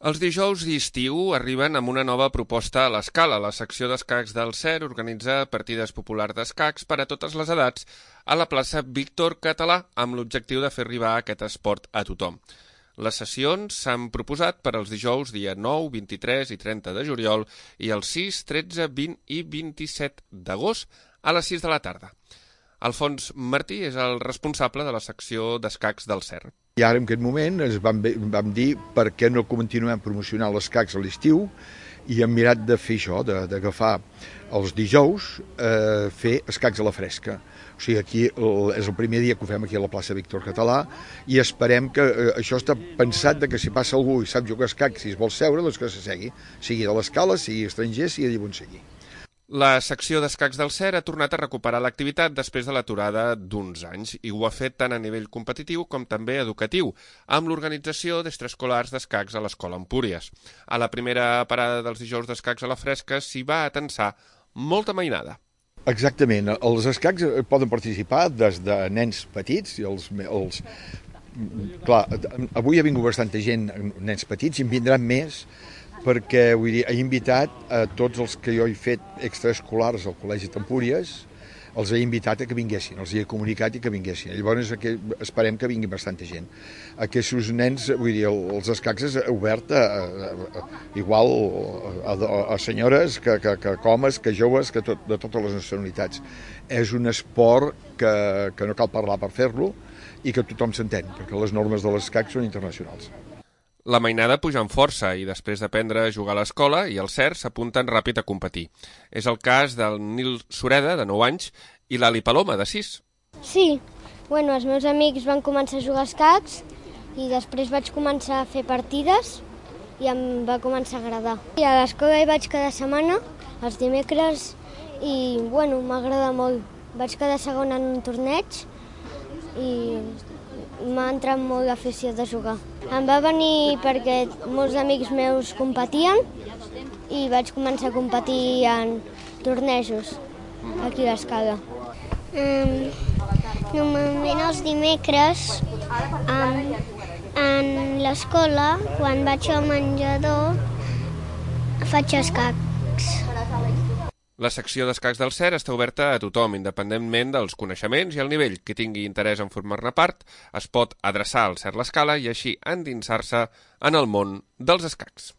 Els dijous d'estiu arriben amb una nova proposta a l'Escala. La secció d'escacs del CER organitza partides populars d'escacs per a totes les edats a la plaça Víctor Català, amb l'objectiu de fer arribar aquest esport a tothom. Les sessions s'han proposat per als dijous dia 9, 23 i 30 de juliol i els 6, 13, 20 i 27 d'agost a les 6 de la tarda. Alfons Martí és el responsable de la secció d'escacs del CER. I ara en aquest moment ens vam dir per què no continuem promocionant els escacs a l'estiu i hem mirat de fer això, d'agafar els dijous, fer escacs a la fresca. O sigui, aquí és el primer dia que ho fem aquí a la plaça Víctor Català i esperem que això està pensat que si passa algú i sap jugar escacs, si es vol seure, doncs que s'assegui, sigui de l'Escala, sigui estranger, sigui d'on sigui. La secció d'escacs del CER ha tornat a recuperar l'activitat després de l'aturada d'uns anys i ho ha fet tant a nivell competitiu com també educatiu, amb l'organització d'extraescolars d'escacs a l'Escola Empúries. A la primera parada dels dijous d'escacs a la fresca s'hi va atensar molta mainada. Exactament, els escacs poden participar des de nens petits i Clar, avui ha vingut bastanta gent, nens petits, i en vindran més, perquè vull dir, he invitat a tots els que jo he fet extraescolars al Col·legi d'Empúries, els he invitat a que vinguessin, els he comunicat i que vinguessin. Llavors esperem que vingui bastanta gent. Aquests nens, vull dir, els escacs és obert igual a senyores, que homes, que joves, que de totes les nacionalitats. És un esport que no cal parlar per fer-lo i que tothom s'entén, perquè les normes de l'escac són internacionals. La mainada puja amb força i després d'aprendre a jugar a l'escola i el CER s'apunten ràpid a competir. És el cas del Nil Sureda, de 9 anys, i l'Ali Paloma, de 6. Sí, els meus amics van començar a jugar a escacs i després vaig començar a fer partides i em va començar a agradar. I a l'escola hi vaig cada setmana, els dimecres, i m'agrada molt. Vaig quedar segona en un torneig i m'ha entrat molt l'afició de jugar. Em va venir perquè molts amics meus competien i vaig començar a competir en tornejos aquí a l'Escala. Normalment els dimecres en l'escola, quan vaig al menjador, faig escacs. La secció d'escacs del CER està oberta a tothom, independentment dels coneixements i el nivell. Qui tingui interès en formar-ne part es pot adreçar al CER l'Escala i així endinsar-se en el món dels escacs.